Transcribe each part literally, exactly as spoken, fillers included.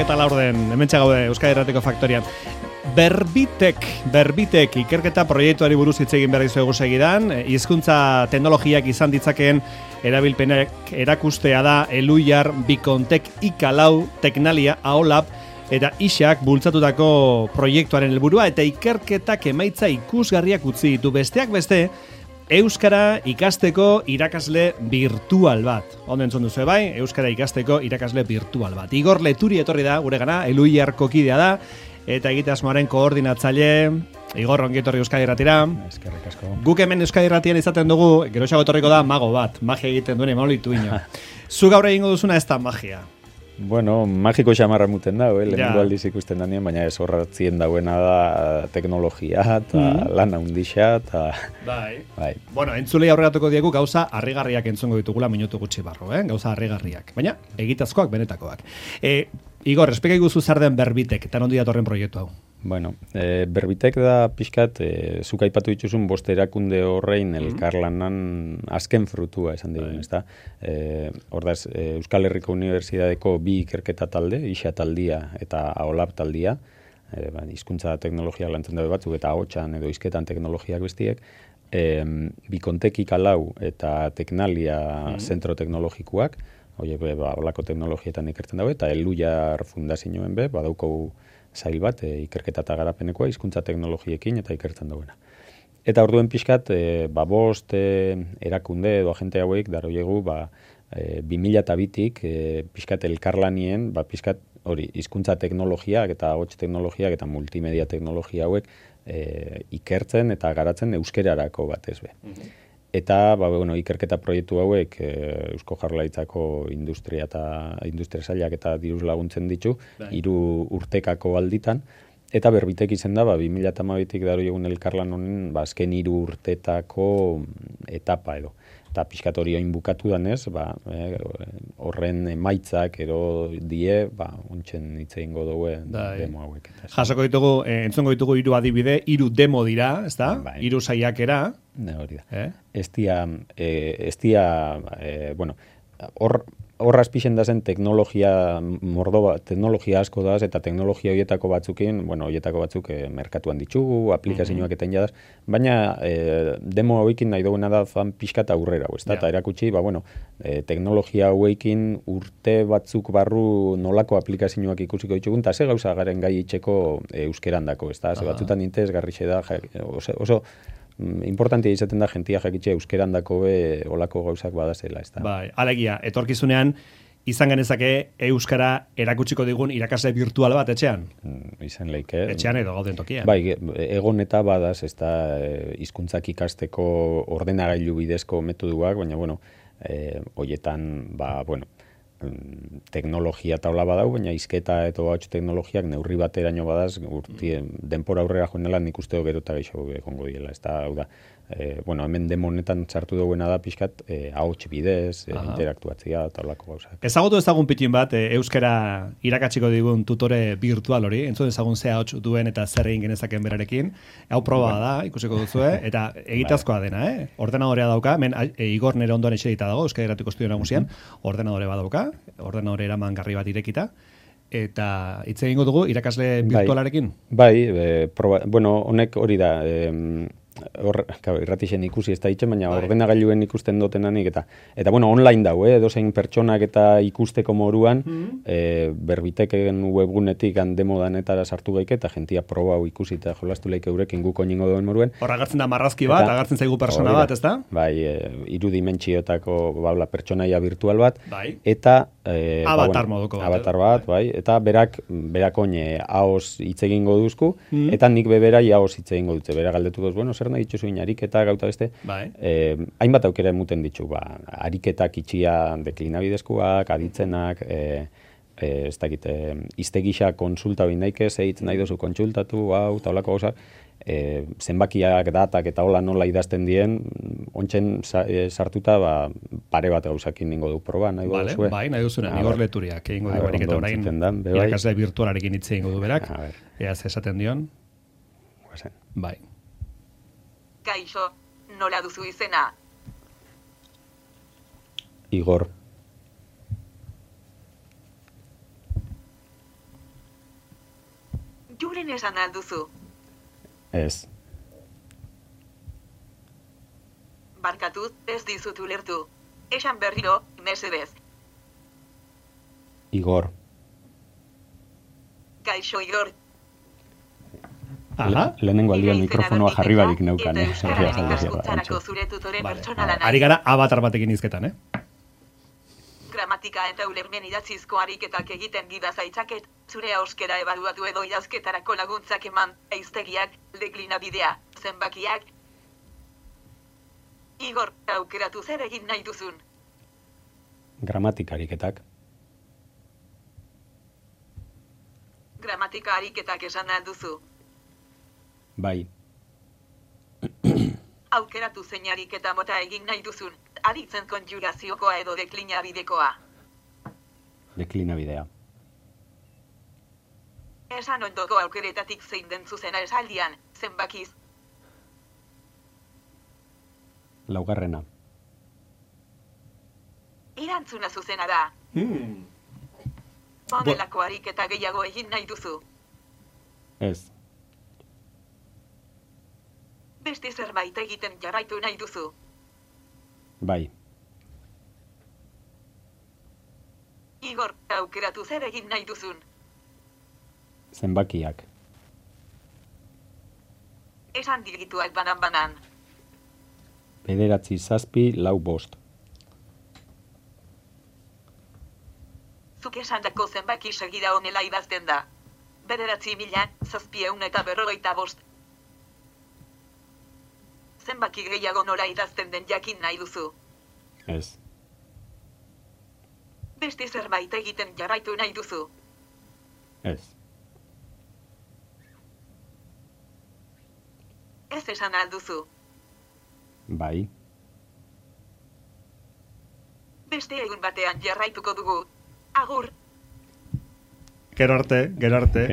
eta laurden, hementsa gaude Euskadi Irratiko Faktorian. Berbitek, Berbitek ikerketa proiektuari buruz hitz egin behar dizuegu segidan, hizkuntza teknologiak izan ditzakeen erabilpenak erakustea da Eluiar, Bikontek, Ikalau, Teknalia, Aolab eta Ixak bultzatutako proiektuaren helburua eta ikerketak emaitza ikusgarriak utzi ditu besteak beste, Euskara ikasteko irakasle virtual bat. Ondo entzun duzu bai, Euskara ikasteko irakasle virtual bat. Igor Leturi etorri da, gure gana, Eluiarko kidea da, eta egitasmoaren koordinatzaile, Igor, ongi etorri Euskadi Irratira. Eskerrik asko. Guk hemen Euskadi Irratian izaten dugu, geroxago etorriko da mago bat, magia egiten duen emaulitu ino. Zu gaur egingo duzuna ez da magia. Bueno, magiko xamarra muten da, eh? Lehenengo aldiz ikusten danien, baina ez horratzien dauena da teknologia, eta mm. lan handixa, eta... Bai. bai. Bueno, entzulei aurregatuko diegu gauza harrigarriak entzungo ditugula minutu gutxi barro, eh? Gauza harrigarriak. Baina, egitazkoak, benetakoak. E, Igor, espeka iguzu zer den Berbitek, eta nondi datorren proiektu hau? Bueno, e, Berbitek da pixkat, e, zuk aipatu dituzun bost erakunde horrein elkarlanan azken frutua esan digun, ezta? E, Hordaz, e, Euskal Herriko Unibertsitateko bi ikerketa talde, Ixa taldia eta Aolab taldia, e, ba, hizkuntza teknologia lantzen dabe batzuk eta ahotsan edo hizketan teknologiak bestiek, e, Bikontek, Ikalau eta Teknalia mm. zentro teknologikoak, horiek be, ba, olako teknologietan ikertzen dago, eta Eluiar fundazioen be, badauko zail bat, e, ikerketa eta garapenekoa, hizkuntza teknologiekin eta ikertzen dagoena. Eta orduen pixkat, e, ba, bost e, erakunde edo agente hauek, daroiegu, ba, e, bi mila eta bitik, e, pixkat elkarlanien, ba, pixkat hori, hizkuntza teknologiak eta ahots teknologiak eta multimedia teknologia hauek e, ikertzen eta garatzen euskerarako batez be. Mm-hmm. Eta, ba, bueno, ikerketa proiektu hauek e, Eusko Jaurlaritzako industria eta industria sailak eta diruz laguntzen ditu, hiru urtekako alditan, eta Berbitek izen da, ba, bi mila hamabitik daro egun elkarlan honen, ba, azken hiru urtetako etapa edo. Eta pixkat hori oin bukatu danez, ba, e, horren emaitzak ero die, ba, ontsen hitz egingo dugu demo hauek. Jasoko ditugu, eh, entzongo ditugu hiru adibide, hiru demo dira, ezta? Bai. Hiru saiakera. Ne, hori da. Eh? Ez dia, eh, ez dia, eh, bueno, hor, horraz pixen da zen teknologia mordo bat, teknologia asko daz, eta teknologia horietako batzukin, bueno, horietako batzuk eh, merkatuan ditugu, aplikazioak eta indadaz, baina eh, demo hauekin nahi duguna da fan pixkat aurrera, ez da, eta erakutsi, ba, bueno, eh, teknologia hauekin urte batzuk barru nolako aplikazioak ikusiko ditugun, eta ze gauza garen gai itxeko eh, euskeran dako, ez da, ze batzutan intez garrixe da, oso, oso importantia izaten da jentia jakitxe euskeran dako be olako gauzak badazela, ez da. Bai, alegia, etorkizunean izan genezake euskara erakutsiko digun irakasle virtual bat etxean? Mm, izan leike. Etxean edo gauden tokian. Bai, egon eta badaz, ez da, hizkuntzak ikasteko ordenagailu bidezko metoduak, baina, bueno, eh, hoietan, ba, bueno, teknologia taula badau, baina hizketa eta ahots teknologiak neurri bateraino badaz, urti, denpora aurrera joanela nik usteo gero eta gehiago egongo diela. Ez da, hau da, e, bueno, hemen demo honetan sartu duguena da pixkat, e, ahots bidez, e, interaktuatzea eta holako gauzak. Ezagutu ezagun pitin bat, e, euskara irakatsiko digun tutore virtual hori, entzun ezagun ze ahots duen eta zer egin genezaken berarekin, hau proba da, ikusiko duzue, eta egitazkoa dena, eh? Ordenadorea dauka, men e, Igor nere ondoan etxedita dago, Euskadi Irratiko Estudio Nagusian, ordenadore badauka, ordenadore eraman garri bat irekita, eta hitz egingo dugu irakasle virtualarekin? Bai, bai e, proba, bueno, honek hori da, e, hor, irratixen ikusi ez da itxen, baina bai. Ordenagailuen ikusten dotenanik, eta, eta bueno, online dau, eh? Edozein pertsonak eta ikusteko moruan, mm-hmm. e, Berbiteken webgunetik demodanetara sartu gaike, eta jentia proba hau ikusi eta jolastu leike eurekin guko ningo duen moruen. Hor agartzen da marrazki bat, eta, agartzen zaigu persona bat, ez da? Bai, e, iru dimentsiotako babla pertsonaia virtual bat, bai. Eta e, avatar ba, bueno, moduko bat. Avatar bat, bai, eta berak, berak oine haoz hitz egingo duzku, mm-hmm. eta nik beberai haoz hitz egingo dutze, bera galdetu duz, bueno, zer nahi dituzu ariketa gauta beste, bai. eh, hainbat aukera emuten ditu, ba, ariketak itxia deklinabidezkoak, aditzenak, eh, eh, ez dakit, eh, iztegisa konsulta bin daike, zeitz nahi dozu kontsultatu, hau, eta holako gauzak, eh, zenbakiak, datak eta hola nola idazten dien, ontsen sa, eh, sartuta, ba, pare bat gauzakin ningo du proba, nahi vale, duzue. Bai, nahi duzuna, Igor Leturiak egingo du ariketa orain, irakasle virtualarekin hitz egingo du berak, ea esaten dion. Guazen. Bai. Kaixo, nola duzu izena? Igor. Julen esan alduzu. Ez. Barkatu, ez dizut ulertu. Esan berriro, mesedez. Igor. Kaixo Igor. Aha. Le, lehenengo aldian mikrofonoa jarri barik neukan, eh? Eta Euskararen ikaskuntzarako zure tutore pertsonala nahi. Ari gara avatar batekin izketan, eh? Gramatika eta ulermen idatzizko ariketak egiten gida zaitzaket, zure euskera ebaluatu edo idazketarako laguntzak eman, eiztegiak, deklinabidea, zenbakiak. Igor, aukeratu zer egin nahi duzun. Gramatika ariketak. Gramatika ariketak esan alduzu. Bai. Aukeratu zein ariketa mota egin nahi duzun, aritzen konjuraziokoa edo deklinabidekoa. Deklinabidea. Esan ondoko aukeretatik zein den zuzena esaldian, zenbakiz. Laugarrena. Erantzuna zuzena da. Hmm. Honelako ariketa gehiago egin nahi duzu. Ez. Beste zerbait egiten jarraitu nahi duzu. Bai. Igor, aukeratu zer egin nahi duzun. Zenbakiak. Esan digituak banan-banan. Bederatzi zazpi lau bost. Zuk esandako zenbaki segida honela idazten da. Bederatzi mila, zazpieun eta berrogeita bost. Zenbaki gehiago nora idazten den jakin nahi duzu. Ez. Beste zerbait egiten jarraitu nahi duzu. Ez. Ez esan alduzu. Bai. Beste egun batean jarraituko dugu. Agur. Gero arte, gero arte.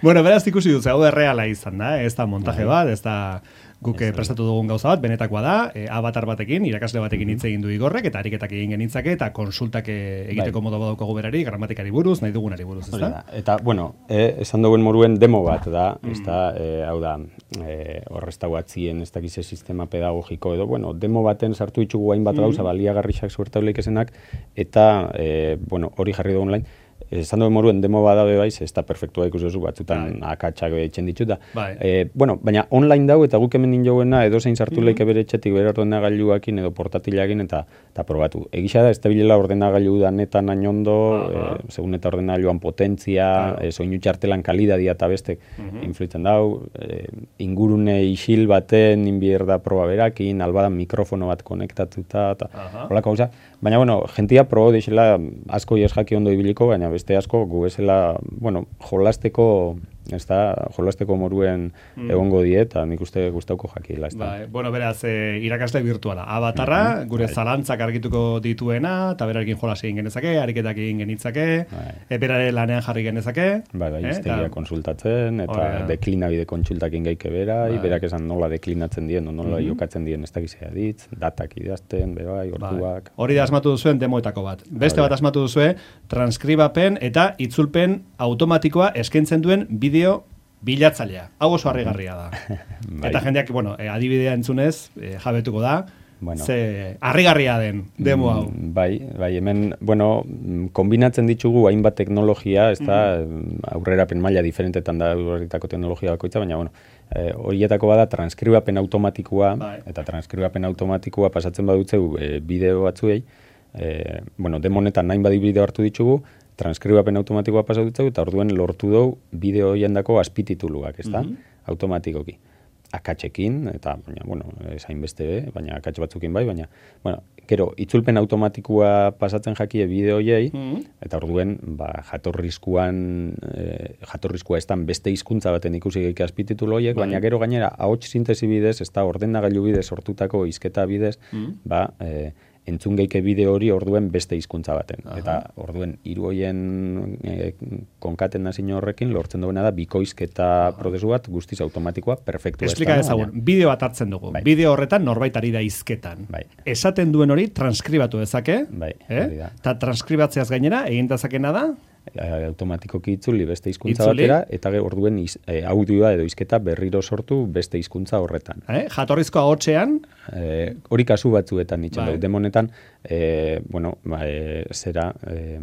Bueno, beraz ikusi dut, hau erreala izan da, ez da montaje bat, ez da guk Ez, prestatu dugun gauza bat, benetakoa da, e, avatar batekin, irakasle batekin hitz egin du Igorrek, eta ariketak egin genitzake, eta konsultak egiteko Bai. modu badaukagu berari, gramatikari buruz, nahi dugunari buruz, ez Hori da? da. Eta, bueno, e, esan duen moruen demo bat da, ez da, e, hau da, e, horreztago atzien ez dakize sistema pedagogiko edo, bueno, demo baten sartu ditugu hainbat gauza, baliagarrixak suertauleik esenak, eta, e, bueno, hori jarri dugu online, esan duen moruen demo badabe baiz, ez da perfektua ikusi duzu batzutan akatsak eitzen ditut da. Bai. E, bueno, baina online dau eta guk hemen ninjoguena edo zein sartu leike bere etxetik bere ordenagailuakin edo portatilakin eta, eta probatu. Egisa da, ez da bilela ordenagailu da netan ainondo, e, segun eta ordenagailuan potentzia, claro. e, soinu txartelan kalidadia eta bestek influitzen dau, e, ingurune isil baten inbierda proba berakin, albadan mikrofono bat konektatuta, eta holako gauza. Baina, bueno, jentia probo deixela asko jes jaki ondo ibiliko, baina beste asko gu bezala, bueno, jolasteko, ez da, jolasteko moruen mm. egongo diet, eta nik uste gustauko jakila, ez da. Bai, bueno, beraz, e, irakasle virtuala, avatarra, mm-hmm. gure bai. Zalantzak argituko dituena, eta berarekin jolas egin genezake, ariketak egin genitzake, bai. e, berare lanean jarri genezake. Bai, bai, iztegia eta... konsultatzen, eta Ora. deklinabide kontsultakin gaike bera, bai. berak esan nola deklinatzen dien, nola mm-hmm. jokatzen dien ez dakizea ditz, datak idazten, bebai, orduak. Bai. Hori da asmatu duzuen demoetako bat. Beste Bai. bat asmatu duzue, transkribapen eta itzulpen automatikoa eskaintzen duen bideo bilatzailea. Hau oso harrigarria da. Bai. Eta jendeak, bueno, e, adibidea entzunez, e, jabetuko da, bueno. Ze harrigarria den demo hau. Mm, bai, bai, hemen, bueno, kombinatzen ditugu hainbat teknologia, ez da, mm. aurrerapen maila diferentetan da aurreritako teknologia bakoitza, baina, bueno, e, horietako bada transkribapen automatikoa, bai. eta transkribapen automatikoa pasatzen badutzeu e, bideo batzuei, e, bueno, demonetan nahin badi bideo hartu ditugu, transkribapen automatikoa pasatu dut, eta orduen lortu dugu bideo hoiendako azpitituluak, ez da? Mm-hmm. Automatikoki. Akatsekin, eta, baina, bueno, esain beste be, baina akats batzukin bai, baina, bueno, gero, itzulpen automatikoa pasatzen jakie bideo hoiei, mm-hmm. eta orduen, ba, jatorrizkuan, e, jatorrizkoa ez beste hizkuntza baten ikusi geik azpititulu hoiek, bai. Baina gero gainera, ahots sintesi bidez, ez da, ordenagailu bidez sortutako hizketa bidez, mm-hmm. ba, e, entzun geike bideo hori orduen beste hizkuntza baten. Aha. Eta orduen hiru hoien e, konkaten nazin horrekin lortzen duena da bikoizketa Aha. prozesu bat guztiz automatikoa perfektua. Explika ezagun, bideo bat hartzen dugu. Bai. Bideo horretan norbait ari da hizketan. Bai. Esaten duen hori transkribatu dezake. Bai, eh? hori da. Eta transkribatzeaz gainera egin dezakena da? automatikoki itzuli beste hizkuntza batera, eta orduen iz, e, audioa edo hizketa berriro sortu beste hizkuntza horretan. Eh? Jatorrizko ahotsean? E, hori kasu batzuetan itxen bai. Demonetan, e, bueno, ba, e, zera... E,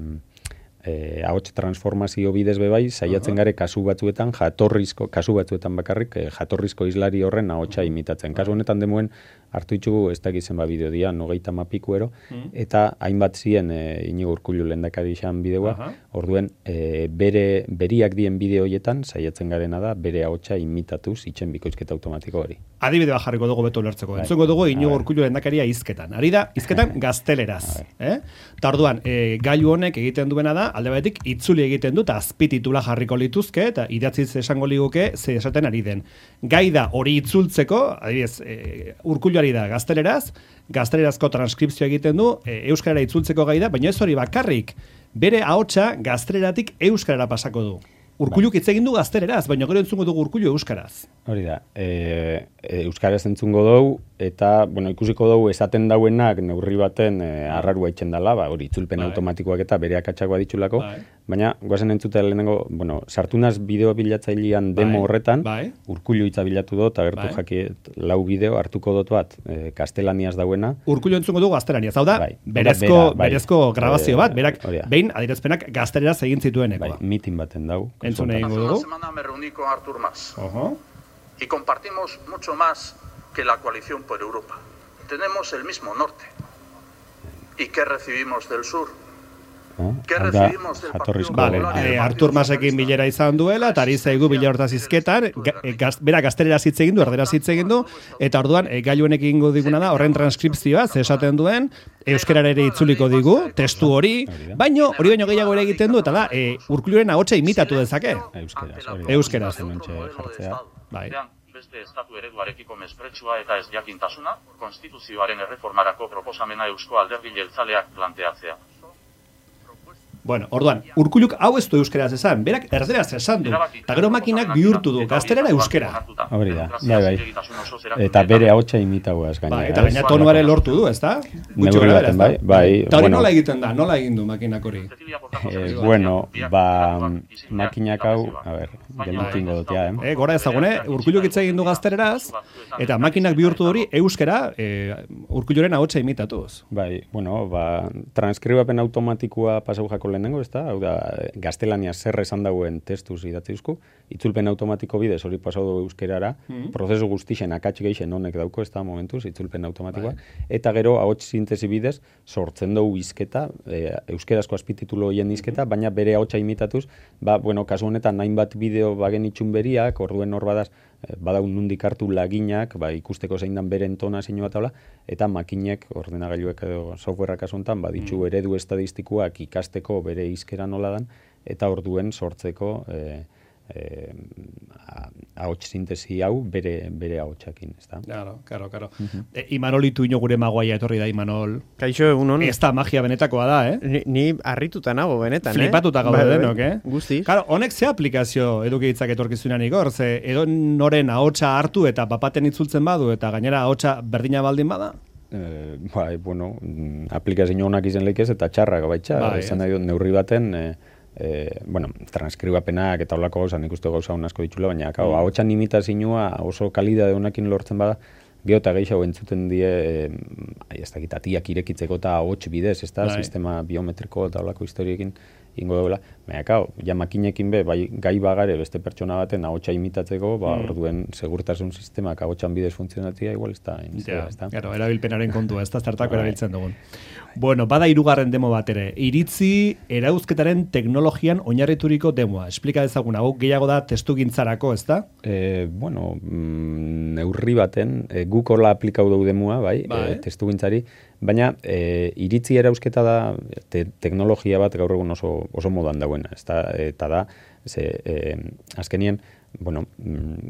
Eh, ahots transformazio bidez bebai, saiatzen gare kasu batzuetan, jatorrizko, kasu batzuetan bakarrik, eh, jatorrizko islari horren ahotsa imitatzen. Kasu honetan demuen, hartu ditugu, ez dakizen ba bideo dia, nogeita mapikuero, mm. eta hainbat zien eh, Inigo Urkullu lehendakari izan bideoa, uh-huh. orduen eh, bere, beriak dien bideo hoietan, saiatzen garena da, bere ahotsa imitatuz, itxen bikoizketa automatiko hori. Adibidea jarriko dugu beto ulertzeko. Entzungo dugu Inigo Urkullu lehendakaria hizketan. Ari da, hizketan gazteleraz. Eh? Ta orduan, eh, gailu honek egiten duena da, alde batetik itzuli egiten du, eta azpititula jarriko lituzke, eta idatziz esango liguke, ze esaten ari den. Gai da hori itzultzeko, adibidez, e, Urkulluari da gazteleraz, gaztelerazko transkripzioa egiten du, e, euskarara itzultzeko gai da, baina ez hori bakarrik, bere ahotsa gazteleratik euskarara pasako du. Urkulluk hitz egin du gazteleraz, baina gero entzungo dugu Urkullu euskaraz. Hori da, e, e, euskaraz entzungo dugu, eta bueno, ikusiko dugu esaten dauenak neurri baten e, arrarua itxen dela, ba, hori itzulpen bai. automatikoak eta bere akatsakoa ditxulako, bai. baina goazen entzutea lehenengo, bueno, sartunaz bideo bilatzailean demo bai. horretan, bai. Urkullu hitza bilatu dut, agertu bai. jakiet lau bideo, hartuko dut bat, e, kastelaniaz dauena. Urkullu entzungo dugu gaztelaniaz, hau da, bai. berezko, bera, bai. berezko grabazio bat, berak behin adierazpenak gazteleraz egin zituenekoa. Bai, mitin baten dau. Hace una semana me reuní con Artur Mas uh-huh. y compartimos mucho más que la coalición por Europa. Tenemos el mismo norte. ¿Y qué recibimos del sur? ¿Qué recibimos del Partido Popular? Vale, eh, Artur Masekin bilera izan duela, eta ari zaigu bilera hortaz izketan, gaz, bera gazteleraz hitz egin du, erderaz hitz egin du, eta orduan, e, gailuenek egingo diguna da, horren transkripzioa, ze esaten duen, euskarara ere itzuliko digu, testu hori, baino, hori baino gehiago ere egiten du, eta da, e, Urkulluren ahotsa imitatu dezake. Euskeraz. Euskeraz. Bai. Beste estatu ereduarekiko mespretxua eta ez jakintasuna, konstituzioaren erreformarako proposamena Eusko Alderdi Jeltzaleak planteatzea. Bueno, orduan, Urkulluk hau ez du euskeraz esan, berak erderaz esan du, eta gero makinak bihurtu du, gaztelera euskera. Hori da, bai, bai. Eta bere ahotsa imitagoaz gaina. Bai, eta gaina tonuare lortu du, ez da? Neurri baten, bai, bai. Eta hori nola egiten da, nola egin du makinak hori? Eh, bueno, ba, makinak hau, a ber, gelutingo dut, ja, eh? Eh, gora ezagune, Urkulluk hitz egin du gazteleraz, eta makinak bihurtu hori euskera, eh, Urkulluren ahotsa imitatuz. Bai, bueno, ba, transkribapen automatikoa pasau jako lehenengo, ez da? Hau da, gaztelania zer esan dauen testuz idatzizku, itzulpen automatiko bidez hori pasau dugu euskerara, mm-hmm. prozesu guztixen akatx geixen honek dauko, ez da, momentuz, itzulpen automatikoa, bai. Eta gero, ahots sintesi bidez, sortzen dugu izketa, e, euskerazko azpititulo hoien izketa, mm-hmm. baina bere ahotsa imitatuz, ba, bueno, kasu honetan, hainbat bideo bagen itxun beriak, orduen hor badaz, badaun nundik hartu laginak, ba, ikusteko zein dan bere entonazio bat habla, eta makinek, ordenagailuek edo softwareak asuntan, baditzu mm. eredu estadistikoak ikasteko bere hizkera nola dan, eta orduen sortzeko eh, eh, ahots sintesi hau bere, bere ahotsakin, ez da? Claro, claro, claro. Uh-huh. E, Imanol ituino gure magoaia etorri da, Imanol. Kaixo, egunon. Ez da magia benetakoa da, eh? Ni, ni harrituta nago benetan, Flipatuta eh? Flipatuta gaude denok, eh? Guztiz. Claro, honek ze aplikazio eduki ditzak etorkizunan igor, ze edo noren ahotsa hartu eta papaten itzultzen badu, eta gainera ahotsa berdina baldin bada? Eh, bai, bueno, aplikazio honak izen leikez eta txarrak baitxa, bai, izan nahi dut neurri baten, eh, eh, bueno, transkribapenak eta holako gauza, nik uste gauza hon asko ditxula, baina mm. ahotsan imitazioa oso kalidade honekin lortzen bada, gero eta gehiago entzuten die, eh, ez dakit, atiak irekitzeko eta ahots bidez, ez da, sistema biometriko eta holako historiekin ingo dagoela, baina, kao, ja makinekin be, bai, gai bagare beste pertsona baten ahotsa imitatzeko, ba, mm. orduen segurtasun sistemak ahotsan bidez funtzionatia, igual ez da, ez da. Claro, erabilpenaren kontua, ez da zertako erabiltzen dugun. Bueno, bada hirugarren demo bat ere, iritzi erauzketaren teknologian oinarrituriko demoa. Esplika dezagun, hau gehiago da testugintzarako, ez da? Eh, bueno, mm, neurri baten, e, guk horla aplikau dugu demoa, bai, bai. E, testugintzari, baina e, iritzi erauzketa da te, teknologia bat gaur egun oso, oso modan dauena, ez da, eta da, ze, e, azkenien, bueno,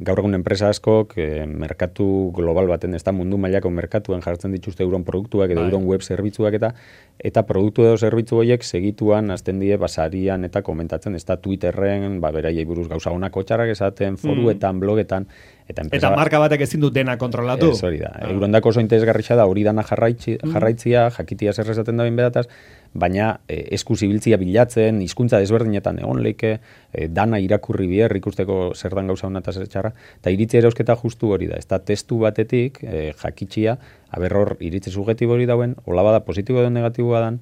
gaur egun enpresa askok eh, merkatu global baten, ez da mundu mailako merkatuen jartzen dituzte euron produktuak edo euron web zerbitzuak eta eta produktu edo zerbitzu horiek segituan azten die basarian eta komentatzen, ez da Twitterren, ba, beraiei buruz gauza honako txarrak esaten, foruetan, mm. blogetan, eta, eta marka batek ezin du dena kontrolatu. Ez hori da. Ah. Eurondako oso interesgarria da hori dana jarraitzi, jarraitzia, jakitia zer esaten da behin bedataz, baina e, eskuzibiltzia bilatzen, hizkuntza desberdinetan egon leike, e, dana irakurri bier, ikusteko zer dan gauza hona eta zer txarra, eta iritzi erausketa justu hori da, ez da testu batetik, e, jakitxia, aber hor iritzi subjetibo hori dauen, hola bada positibo edo negatiboa dan,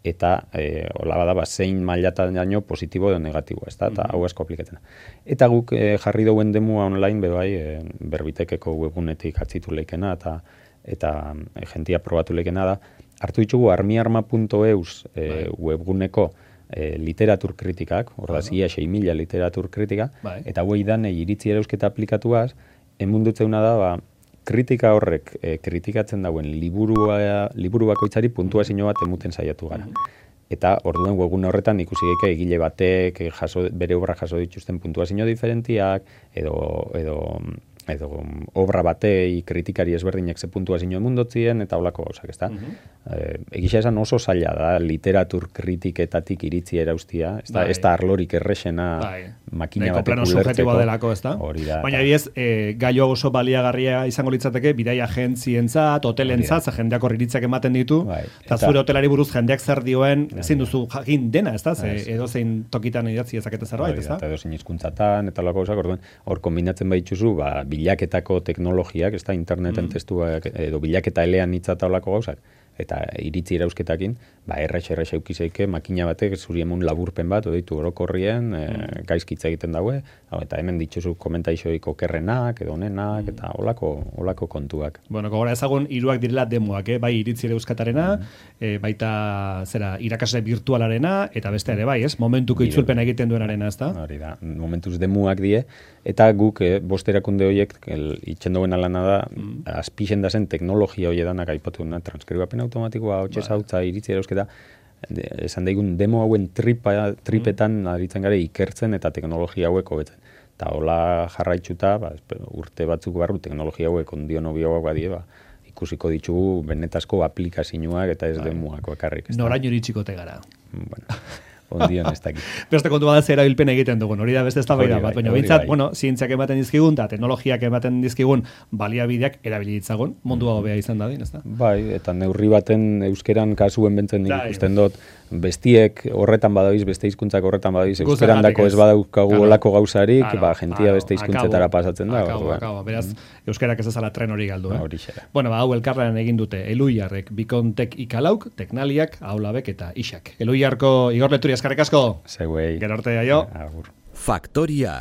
eta e, hola bada ba, zein mailatan daño positibo edo negatiboa, ez da, eta hau asko aplikatzen. Eta guk e, jarri dauen demua online, bebai, e, berbitekeko webunetik atzitu leikena, eta eta e, jentia probatu leikena da, hartu ditugu armiarma puntu eus e, webguneko e, literatur kritikak, hor da zia sei mila literatur kritika, bai. Eta hoi dan iritzi erausketa aplikatuaz, emundutzeuna da, ba, kritika horrek e, kritikatzen dauen liburua, liburu bakoitzari puntuazio bat emuten saiatu gara. Eta orduen webgune horretan ikusi geike egile batek jaso, bere obra jaso dituzten puntuazio diferentiak, edo, edo edo obra batei kritikari ezberdinek ze puntuazio emundotzien, eta holako gauzak, ez da? Uh -huh. e, egisa esan oso zaila da, literatur kritiketatik iritzi eraustia, ez da, bai. Ez da arlorik errexena bai. Makina batek ulertzeko. Delako, ez da? Baina ebiez, e, gaio oso baliagarria izango litzateke, bidai agentzientzat, hotelentzat, jendeak horriritzak ematen ditu, bai. Eta zure hotelari buruz jendeak zer dioen, ezin duzu jakin dena, ez da? Edo zein tokitan idatzi ezakete zerbait, ez da? Eta edo zein hizkuntzatan, eta holako gauzak, orduen, hor kombinatzen baituzu, ba, bilaketako teknologiak, ez da, interneten mm. testuak, edo bilaketa elean hitzata holako gauzak, eta iritzi irausketakin, ba, errex, errex eukizeike, makina batek zuri emun laburpen bat, odeitu orokorrien, e, gaizkitza egiten daue, eta hemen dituzu komentaixoik okerrenak, edo honenak, eta holako, holako kontuak. Bueno, gogora ezagun, hiruak direla demoak, eh? Bai iritzi irauskatarena, mm. e, baita, zera, irakasle virtualarena, eta beste ere bai, ez? Momentuko itzulpena egiten duenarena, ez da? Hori da, momentuz demoak die, eta guk, eh, bost erakunde horiek, itxen duen alana da, mm. azpixen da zen teknologia hori edanak aipatu duna, transkribapen automatikoa, hotxe zautza, iritzi erausketa, esan daigun demo hauen tripa, tripetan mm. aritzen gare ikertzen eta teknologia hauek hobetzen. Eta hola jarraitzuta, ba, urte batzuk barru teknologia hauek ondion obioak badie, ba, ikusiko ditugu benetazko aplikazioak eta ez demoak bakarrik. Noraino iritsiko tegara. Bueno. Ondion ez dakit. Beste kontu bada zera bilpen egiten dugun, hori da beste eztabaida bat, baina behintzat, bueno, zientziak ematen dizkigun, eta teknologiak ematen dizkigun, baliabideak erabili ditzagun, mundua hobea izan dadin, ez da? Bai, eta neurri baten euskeran kasuen bentzen ikusten dut, bestiek horretan badabiz, beste hizkuntzak horretan badabiz, euskeran dako ez badaukagu olako gauzarik, claro, ba, jentia beste hizkuntzetara pasatzen da. Akabo, akabo, beraz, euskerak ez ezala tren hori galdu, eh? Hori xera. Bueno, ba, hau elkarlan egin dute, Eluiarrek, Bikontek ikalauk, Teknaliak, Aulabek eta Isak. Eluiarko Igor Leturi eskarrik asko. Zeguei. Gero arte, aio. Agur. Faktoria.